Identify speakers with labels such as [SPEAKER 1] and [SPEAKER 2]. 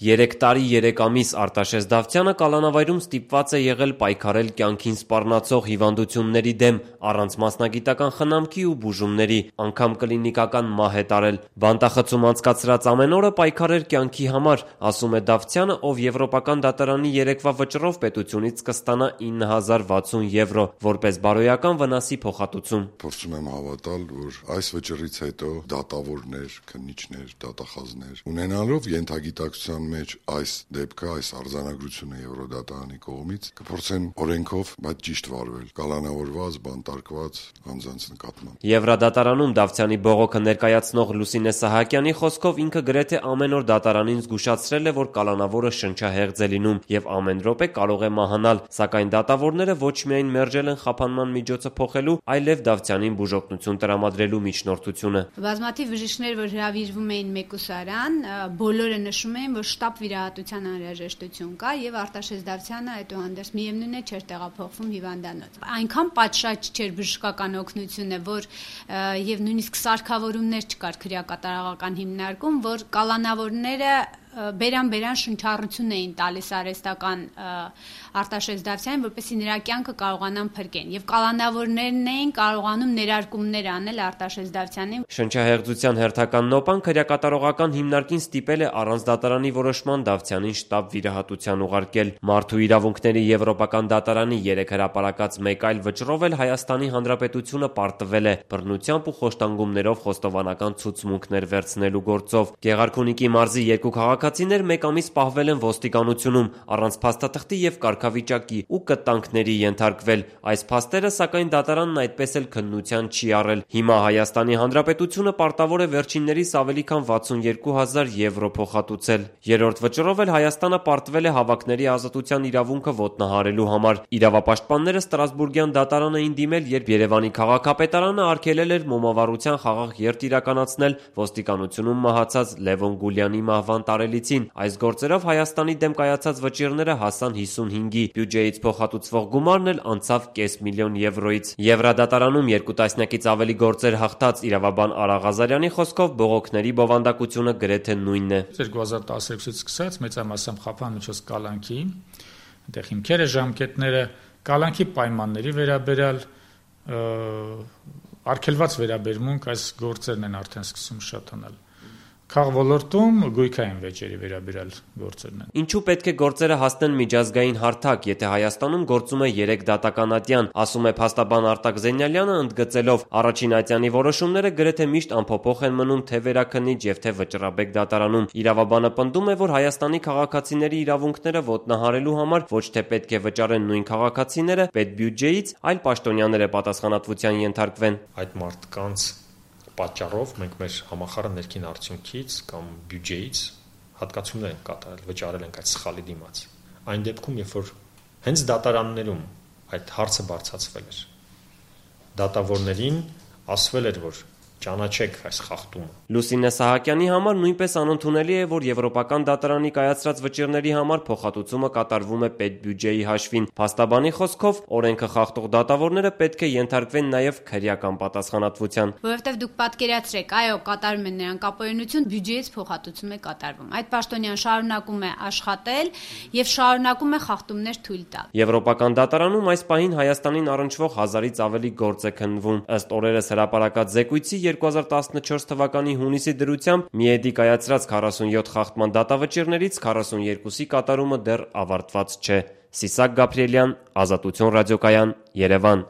[SPEAKER 1] 3 տարի 3 ամիս Արտաշես Դավթյանը կալանավայրում ստիպված է եղել պայքարել կյանքին սպառնացող հիվանդությունների դեմ, առանց մասնագիտական խնամքի ու բուժումների, անգամ կլինիկական մահ է տարել։ Բանտախցում անցկացրած ամեն օրը պայքար էր կյանքի համար, ասում է Դավթյանը, ով Եվրոպական դատարանի երեկվա վճռով պետությունից կստանա 9060 եվրո, որպես բարոյական վնասի փոխհատուցում։
[SPEAKER 2] Փորձում եմ հավատալ, որ այս վճռից հետո դատավորներ, քննիչներ, դատախազներ ունենալով ենթագիտակցության մեջ այս դեպքը, այս արձանագրությունը Եվրոդատարանի կողմից կփորձեն օրենքով, բայց ճիշտ վարվել, կալանավորված, բանտարկված անձանց նկատմամբ։
[SPEAKER 1] Եվրոդատարանում Դավթյանի բողոքը ներկայացնող Լուսինե Սահակյանի խոսքով ինքը գրեթե ամեն օր դատարանին զգուշացրել է, որ կալանավորը շնչահեղձ է լինում եւ ամեն րոպե կարող է մահանալ, սակայն դատավորները ոչ միայն մերժել են խափանման միջոցը փոխելու, այլև Դավթյանին բուժօգնություն տրամադրելու միջնորդությունը։
[SPEAKER 3] Բազմաթիվ բժիշկներ, որ հրավիրվում էին մեկուսարան, բոլորը նշում էին, որ շտապ վիրահատության անհրաժեշտություն կա եւ Արտաշես Դավթյանը այդուհանդերձ միևնույն է չէր տեղափոխվում հիվանդանոց։ Այնքան պատշաճ չէր բժշկական օգնությունը, որ եւ նույնիսկ սարքավորումներ չկար քրեակատարողական հիմնարկում, որ կալանավորները բերան շնչառություն էին տալիս արհեստական Արտաշես Դավթյանին, որպեսզի նրա կյանքը կարողանան փրկեն, եւ կալանավորներն էին կարողանում ներարկումներ անել Արտաշես Դավթյանին։
[SPEAKER 1] Շնչահեղձության հերթական նոպան քրեակատարողական հիմնարկին ստիպել է առանց դատարանի որոշման Դավթյանին շտապ վիրահատության ուղարկել։ Մարդու իրավունքների Եվրոպական դատարանի 3 հրապարակած մեկ այլ վճռով էլ Հայաստանի Հանրապետությունը պարտվել է բռնությամբ ու խոշտանգումներով խոստովանական ցուցմունքներ վերցնելու գործով։ Գեղարքունիքի մարզի 2 քաղաքացիներ 1 ամիս պահվել են ոստիկանությունում առանց փաստաթղթի եւ կարգավիճակի ու կտանքների ենթարկվել։ Այս փաստերը, սակայն, դատարանն այդպես էլ քննության չի առել։ Հիմա Հայաստանի Հանրապետությունը պարտավոր է վերջիններիս ավելի քան 62000 եվրո փոխհատուցել։ Երրորդ վճռով էլ Հայաստանը պարտվել է հավաքների ազատության իրավունքը ոտնահարելու համար։ Իրավապաշտպանները Ստրասբուրգյան դատարան էին դիմել, երբ Երևանի քաղաքապետարանը արգելել էր մոմավառության խաղաղ երթ իրականացնել ոստիկանությունում մահացած Լևոն Գուլյանի մահվան տարելիցին։ Այս գործերով Հայաստանի դեմ կայացած վճիռները հասան 55-ի, բյուջեից փոխհատուցվող գումարն էլ անցավ 500,000 եվրոից։ Եվրադատարանում 2 տասնյակից ավելի գործեր հաղթած իրավաբան Արա Ղազարյանի խոսքով բողոքների բովանդակությունը գրեթե նույնն է։
[SPEAKER 4] 2016-ից սկսած մեծամասամբ խափան միջոց կալանքի, այնտեղ հիմքերը, ժամկետները, կալանքի պայմանների վերաբերյալ արգելված վերաբերմունք, այս գործերն են արդեն սկսում շատանալ։ Քաղաքոլորտում գույքային վեճերի վերաբերյալ գործերն են։
[SPEAKER 1] Ինչու պետք է գործերը հասնեն միջազգային հարթակ, եթե Հայաստանում գործում է 3 դատական ատյան, ասում է փաստաբան Արտակ Զենյալյանը, ընդգծելով առաջին ատյանի որոշումները գրեթե միշտ անփոփոխ են մնում թե վերաքննիչ եւ թե վճռաբեկ դատարանում։ Իրավաբանը պնդում է, որ Հայաստանի քաղաքացիների իրավունքները ոտնահարելու համար ոչ թե պետք է վճարեն նույն քաղաքացիները պետբյուջեից, այլ պաշտոնյաները պատասխանատվության ենթարկվեն։
[SPEAKER 5] Այդ մարդկանց պատճառով մենք մեր համախառն ներքին արդյունքից կամ բյուջեից հատկացումներ ենք կատարել, վճարել ենք այդ սխալի դիմաց։ Այն դեպքում, երբ որ հենց դատարաններում այդ հարցը բարձրացվել էր, դատավորներին ասվել էր, որ ճանաչեք այս խախտումը։
[SPEAKER 1] Լուսինե Սահակյանի համար նույնպես անընդունելի է, որ Եվրոպական դատարանի կայացրած վճիռների համար փոխհատուցումը կատարվում է պետբյուջեի հաշվին։ Փաստաբանի խոսքով օրենքը խախտող դատավորները պետք է ենթարկվեն նաև քրեական պատասխանատվության։
[SPEAKER 3] Որովհետև դուք պատկերացրեք, այո, կատարում են նրանք ապօրինություն, բյուջեից փոխհատուցում է կատարվում։ Այդ պաշտոնյան շարունակում է աշխատել եւ շարունակում է խախտումներ թույլ տալ։
[SPEAKER 1] Եվրոպական դատարանում այս պահին Հայաստանին առնչվող 1000-ից ավելի գործ է քննվում։ Ըստ օրերս հրապարակած զեկույցի 2014 թվականի հունիսի դրությամբ ՄԻԵԴ-ի կայացրած 47 խախտման դատավճիռներից 42-ի կատարումը դեռ ավարտված չէ։ Սիսակ Գաբրիելյան, Ազատություն ռադիոկայան, Երևան։